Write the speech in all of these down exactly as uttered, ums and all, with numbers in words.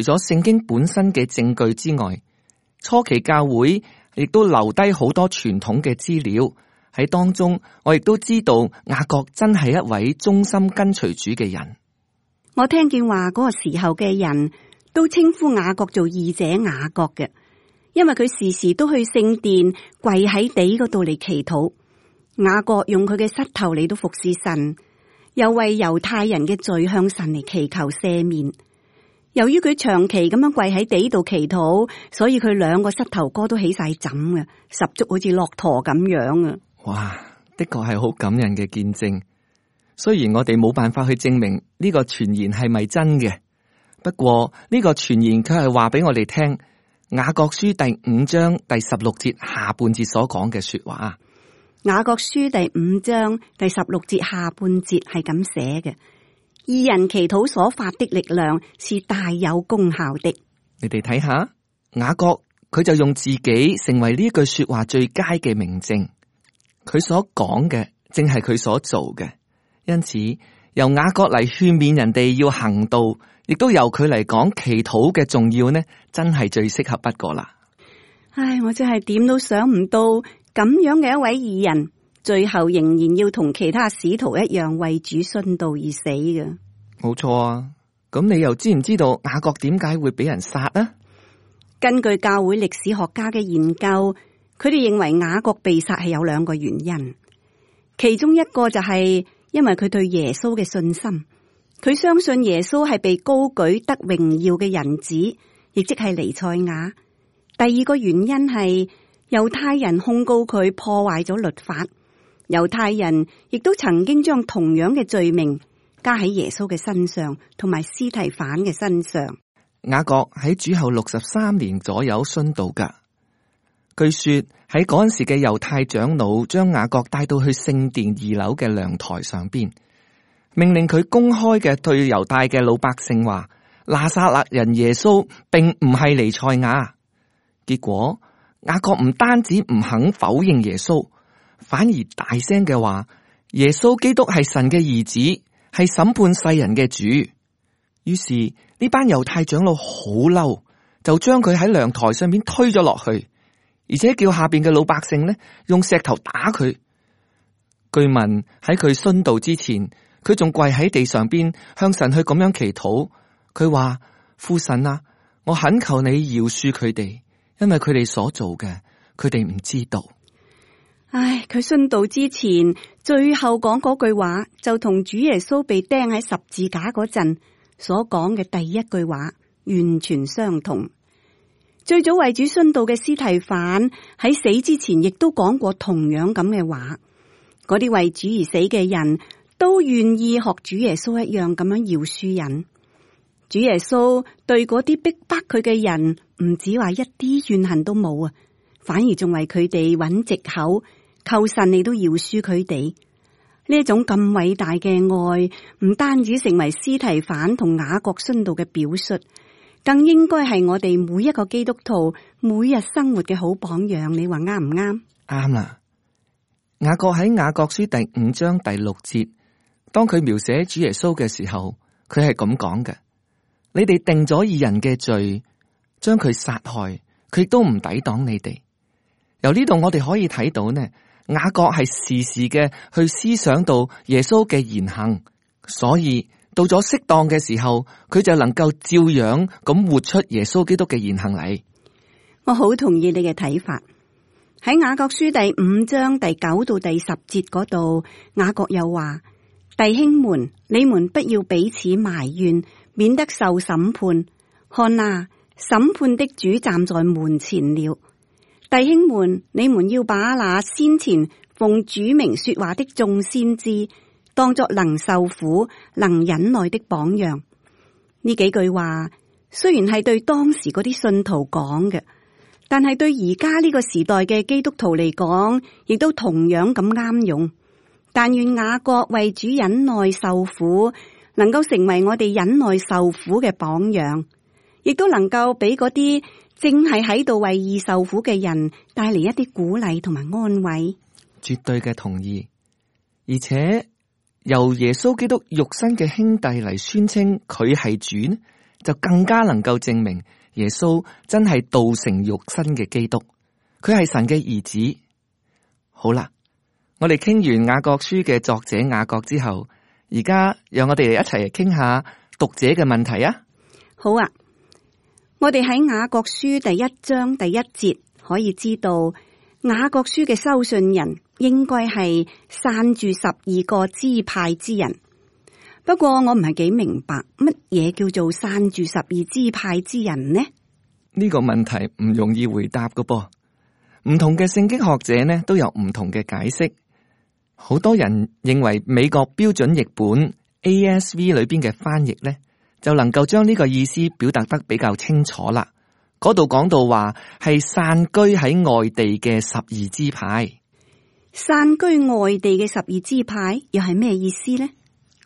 除咗聖經本身嘅證據之外，初期教會亦都留低好多傳統嘅資料喺當中。我亦都知道雅各真係一位忠心跟隨主嘅人。我聽見話嗰個時候嘅人都稱呼雅各做義者雅各嘅，因為佢時時都去聖殿跪喺地嗰度嚟祈禱。雅各用佢嘅膝頭嚟到服侍神，又為猶太人嘅罪向神嚟祈求赦免。由於佢長期咁樣跪喺地度祈禱，所以佢兩個膝頭哥都起晒枕嘅，十足好似駱駝咁樣啊！哇，的確係好感人嘅見證。雖然我哋冇辦法去證明呢個傳言係咪真嘅，不過呢個傳言佢係話俾我哋聽，雅各書第五章第十六節下半節所講嘅說話。雅各書第五章第十六節下半節係咁寫嘅：義人祈禱所發的力量是大有功效的。你哋睇下，雅各佢就用自己成為呢句說話最佳嘅明證。佢所講嘅正係佢所做嘅，因此由雅各嚟勸勉人哋要行道，亦都由佢嚟講祈禱嘅重要呢，真係最適合不過啦。唉，我真係點都想唔到咁樣嘅一位義人，最後仍然要同其他使徒一樣為主殉道而死嘅。冇錯啊！咁你又知唔知道雅各點解會俾人殺啊？根據教會歷史學家嘅研究，佢哋認為雅各被殺係有兩個原因，其中一個就係因為佢對耶穌嘅信心，佢相信耶穌係被高舉得榮耀嘅人子，亦即係彌賽亞。第二個原因係猶太人控告佢破壞咗律法，猶太人亦都曾經將同樣嘅罪名加喺耶穌嘅身上，同埋司提反嘅身上。雅各喺主後六十三年左右殉道噶。據說喺嗰陣時嘅猶太長老將雅各帶到去聖殿二樓嘅陽台上邊，命令佢公開嘅對猶大嘅老百姓話：拿撒勒人耶穌並唔係彌賽亞。結果雅各唔單止唔肯否認耶穌，反而大聲嘅話：耶穌基督係神嘅兒子，係審判世人嘅主。於是呢班猶太長老好嬲，就將佢喺陽台上面推咗落去，而且叫下邊嘅老百姓呢用石頭打佢。據聞喺佢殉道之前，佢仲跪喺地上邊向神去咁樣祈禱。佢話：父神啊，我懇求你饒恕佢哋，因為佢哋所做嘅，佢哋唔知道。唉，佢殉道之前最後講嗰句話，就同主耶穌被釘喺十字架嗰陣所講嘅第一句話完全相同。最早為主殉道嘅司提反喺死之前亦都講過同樣咁嘅話。嗰啲為主而死嘅人都願意學主耶穌一樣咁樣饒恕人。主耶穌對嗰啲逼迫佢嘅人唔止話一啲怨恨都冇啊，反而仲為佢哋揾藉口，求神你都饒恕佢哋。呢一種咁偉大嘅愛，唔單止成為司提反同雅各殉道嘅表述，更應該係我哋每一個基督徒每日生活嘅好榜樣。你話啱唔啱？啱啦。雅各喺雅各書第五章第六節，當佢描寫主耶穌嘅時候，佢係咁講嘅：你哋定咗義人嘅罪，將佢殺害，佢亦都唔抵擋你哋。由呢度我哋可以睇到呢，雅各係時時嘅去思想到耶穌嘅言行，所以到咗適當嘅時候，佢就能夠照樣咁活出耶穌基督嘅言行嚟。我好同意你嘅睇法。喺雅各書第五章第九到第十節嗰度，雅各又話：弟兄們，你們不要彼此埋怨，免得受審判。看啊，審判的主站在門前了。弟兄們，你們要把那先前奉主名說話的眾先知當作能受苦、能忍耐的榜樣。呢幾句話雖然係對當時嗰啲信徒講嘅，但係對而家呢個時代嘅基督徒嚟講，亦都同樣咁啱用。但願雅各為主忍耐受苦，能夠成為我哋忍耐受苦嘅榜樣，亦都能夠俾嗰啲正係喺度為義受苦嘅人帶嚟一啲鼓勵同埋安慰。絕對嘅同意。而且由耶穌基督肉身嘅兄弟嚟宣稱佢係主，就更加能夠證明耶穌真係道成肉身嘅基督，佢係神嘅兒子。好啦，我哋傾完雅各書嘅作者雅各之後，而家讓我哋一齊嚟傾下讀者嘅問題啊！好啊，我哋喺雅各書第一章第一節可以知道，雅各書嘅收信人應該係散住十二個支派之人。不過我唔係幾明白乜嘢叫做散住十二支派之人呢？呢個問題唔容易回答㗎噃，唔同嘅聖經學者呢都有唔同嘅解釋。好多人認為美國標準譯本 A S V 裏邊嘅翻譯呢，就能夠將呢個意思表達得比較清楚啦。嗰度講到話係散居喺外地嘅十二支派，散居外地嘅十二支派又係咩意思呢？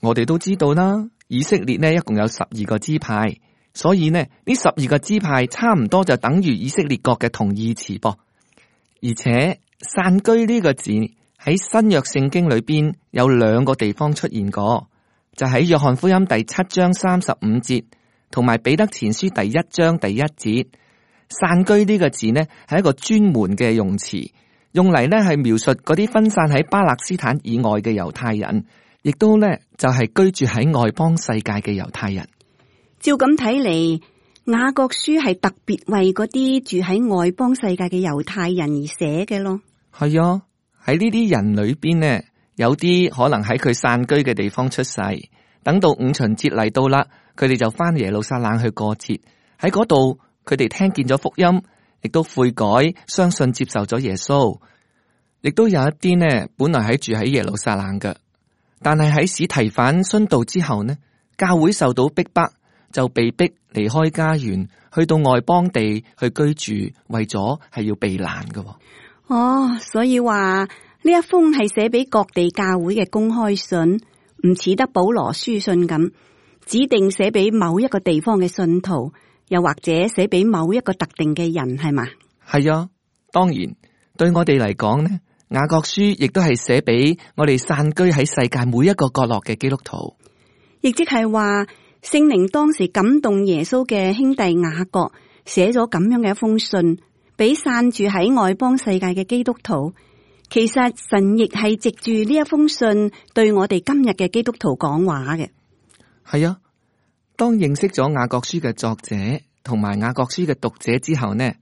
我哋都知道啦，以色列呢一共有十二個支派，所以呢呢十二個支派差唔多就等於以色列國嘅同義詞噃。而且散居呢個字喺新約聖經裏邊有兩個地方出現過，就喺約翰福音第七章三十五節，同埋彼得前書第一章第一節。散居呢個字呢係一個專門嘅用詞，用嚟呢係描述嗰啲分散喺巴勒斯坦以外嘅猶太人，亦都呢就係居住喺外邦世界嘅猶太人。照咁睇嚟，雅各書係特別為嗰啲住喺外邦世界嘅猶太人而寫嘅咯。係啊，喺呢啲人裏邊呢，有啲可能喺佢散居嘅地方出世，等到五旬節嚟到啦，佢哋就翻耶路撒冷去過節。喺嗰度，佢哋聽見咗福音，亦都悔改，相信接受咗耶穌。亦都有一啲呢，本來喺住喺耶路撒冷嘅，但係喺史提反殉道之後呢，教會受到逼迫，就被逼離開家園，去到外邦地去居住，為咗係要避難嘅。哦，所以話呢一封係寫俾各地教會嘅公開信，唔似得保羅書信咁，指定寫俾某一個地方嘅信徒，又或者寫俾某一個特定嘅人，係嘛？係啊，當然對我哋嚟講呢，雅各書亦都係寫俾我哋散居喺世界每一個角落嘅基督徒，亦即係話聖靈當時感動耶穌嘅兄弟雅各，寫咗咁樣嘅一封信俾散住喺外邦世界嘅基督徒。其實神亦係藉住呢一封信對我哋今日嘅基督徒講話嘅。係啊，當認識咗雅各書嘅作者同埋雅各書嘅讀者之後呢，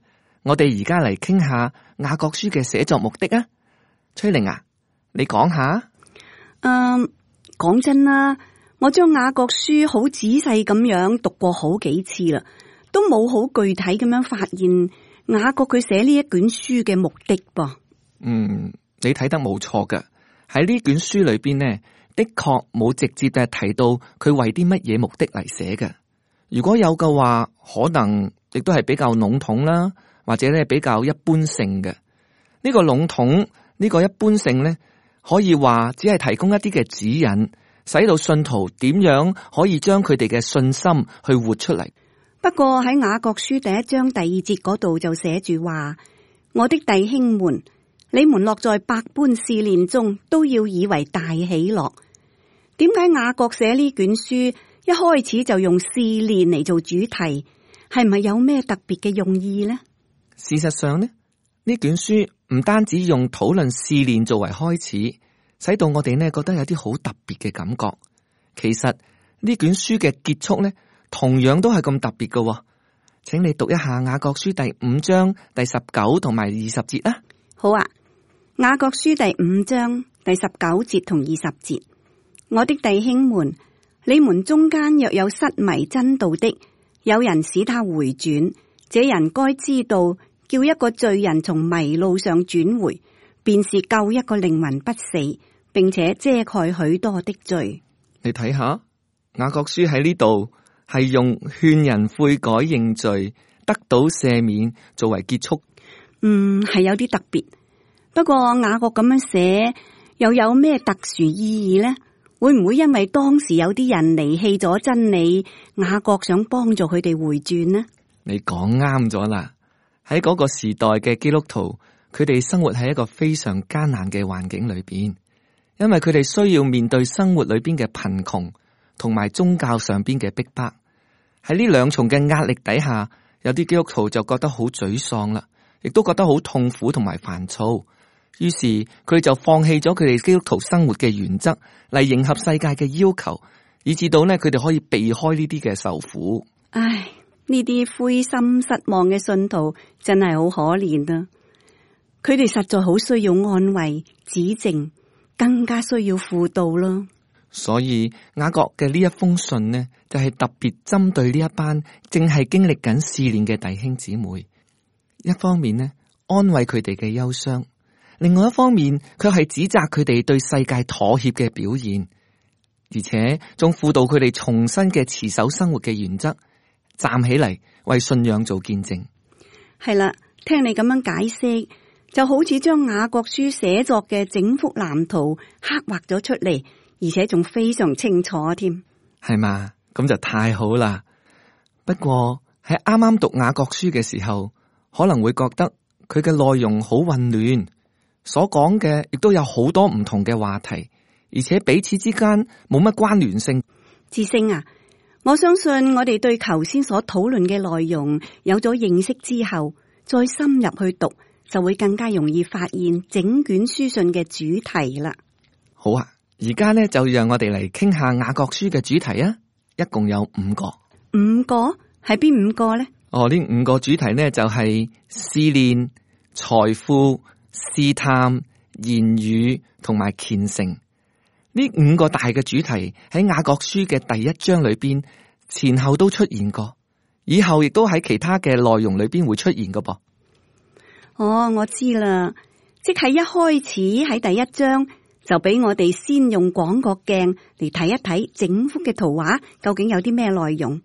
我哋而家嚟傾下雅各書嘅寫作目的啊。崔玲啊，你講下。嗯，講真啦，我將雅各書好仔細咁樣讀過好幾次啦，都冇好具體咁樣發現雅各佢寫呢一卷書嘅目的噃。嗯，你睇得冇錯㗎，喺呢卷書裏邊呢，的確冇直接嘅提到佢為啲乜嘢目的嚟寫嘅。如果有嘅話，可能亦都係比較籠統啦，或者咧比較一般性嘅。呢個籠統，呢個一般性呢，可以話只係提供一啲嘅指引，使到信徒點樣可以將佢哋嘅信心去活出嚟。不過喺雅各書第一章第二節嗰度就寫住話：我的弟兄們，你們落在百般試煉中，都要以為大喜樂。點解雅各寫呢卷書一開始就用試煉嚟做主題？係咪有咩特別嘅用意呢？事實上呢，呢卷書唔單止用討論試煉作為開始，使到我哋呢覺得有啲好特別嘅感覺。其實呢卷書嘅結束呢，同樣都係咁特別嘅。請你讀一下雅各書第五章第十九同埋二十節啦。好啊，雅各書第五章第十九節同二十節，我的弟兄們，你們中間若有失迷真道的，有人使他回轉，這人該知道，叫一個罪人從迷路上轉回，便是救一個靈魂不死，並且遮蓋許多的罪。你睇下雅各書喺呢度係用勸人悔改認罪得到赦免作為結束。嗯，係有啲特別。不過雅各咁樣寫又有咩特殊意義呢？會唔會因為當時有啲人離棄咗真理，雅各想幫助佢哋回轉呢？你講啱咗啦。喺嗰個時代嘅基督徒，佢哋生活喺一個非常艱難嘅環境裏邊，因為佢哋需要面對生活裏邊嘅貧窮同埋宗教上邊嘅逼迫。喺呢兩重嘅壓力底下，有啲基督徒就覺得好沮喪啦，亦都覺得好痛苦同埋煩躁。於是佢哋就放棄咗佢哋基督徒生活嘅原則，嚟迎合世界嘅要求，以至到呢，佢哋可以避開呢啲嘅受苦。唉，呢啲灰心失望嘅信徒真係好可憐啊！佢哋實在好需要安慰、指正，更加需要輔導咯。所以雅各嘅呢一封信呢，就係特別針對呢一班正係經歷緊試煉嘅弟兄姊妹。一方面呢，安慰佢哋嘅憂傷；另外一方面，卻係指責佢哋對世界妥協嘅表現，而且仲輔導佢哋重新嘅持守生活嘅原則，站起嚟為信仰做見證。係啦，聽你咁樣解釋，就好似將雅各書寫作嘅整幅藍圖刻畫咗出嚟，而且仲非常清楚添。係嘛？咁就太好啦。不過喺啱啱讀雅各書嘅時候，可能會覺得佢嘅內容好混亂，所講嘅亦都有好多唔同嘅話題，而且彼此之間冇乜關聯性。智星啊，我相信我哋對頭先所討論嘅內容有咗認識之後，再深入去讀，就會更加容易發現整卷書信嘅主題啦。好啊，而家咧就讓我哋嚟傾下雅各書嘅主題啊，一共有五個。五個？係邊五個呢？哦，呢五個主題呢，就係試煉、財富、試探、言語同埋虔誠。呢五個大嘅主題喺雅各書嘅第一章裏邊前後都出現過，以後亦都喺其他嘅內容裏邊會出現㗎噃。哦，我知啦，即係一開始喺第一章就俾我哋先用廣角鏡嚟睇一睇整幅嘅圖畫究竟有啲咩內容，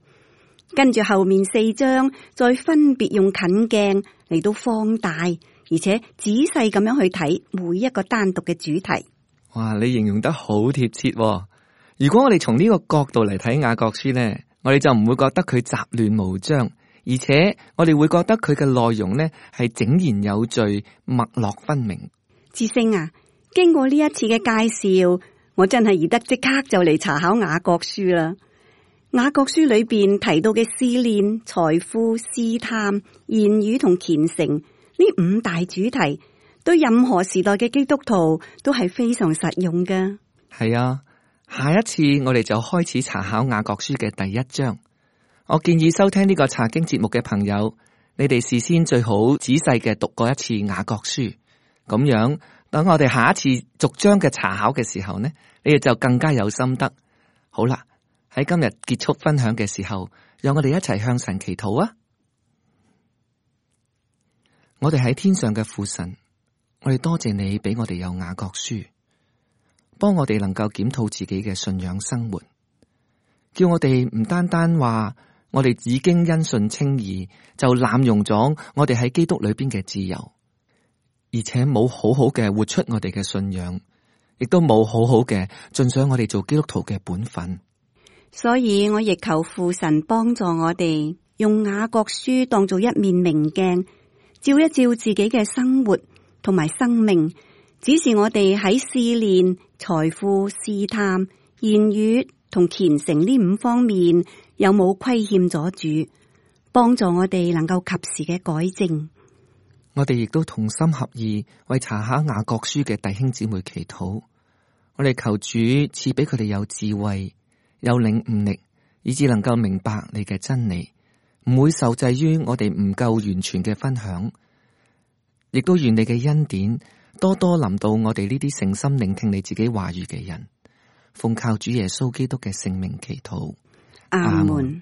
跟住後面四章再分別用近鏡嚟到放大，而且仔細咁樣去睇每一個單獨嘅主題。哇，你形容得好貼切喎。如果我哋從呢個角度嚟睇雅各書呢，我哋就唔會覺得佢雜亂無章，而且我哋會覺得佢嘅內容呢係井然有序、脈絡分明。智星啊，經過呢一次嘅介紹，我真係宜得即刻就嚟查考雅各書啦。雅各書裏邊提到嘅試煉、財富、試探、言語同虔誠呢五大主題，對任何時代嘅基督徒都係非常實用㗎。係啊，下一次我哋就開始查考雅各書嘅第一章。我建議收聽呢個查經節目嘅朋友，你哋事先最好仔細嘅讀過一次雅各書，咁樣等我哋下一次逐章嘅查考嘅時候呢，你哋就更加有心得。好啦，喺今日結束分享嘅時候，讓我哋一齊向神祈禱啊！我哋喺天上嘅父神，我哋多謝你俾我哋有雅各書，幫我哋能夠檢討自己嘅信仰生活，叫我哋唔單單話我哋已經因信稱義，就濫用咗我哋喺基督裏邊嘅自由，而且冇好好嘅活出我哋嘅信仰，亦都冇好好嘅盡上我哋做基督徒嘅本分。所以我亦求父神幫助我哋，用雅各書當做一面明鏡，照一照自己嘅生活同埋生命，指示我哋喺試煉、財富、試探、言語同虔誠呢五方面有冇虧欠咗主，幫助我哋能夠及時嘅改正。我哋亦都同心合意為查考雅各書嘅弟兄姊妹祈禱，我哋求主賜俾佢哋有智慧、有領悟力，以致能夠明白你嘅真理，唔會受制於我哋唔夠完全嘅分享。亦都願你嘅恩典多多臨到我哋呢啲誠心聆聽你自己話語嘅人。奉靠主耶穌基督嘅聖名祈禱，阿門。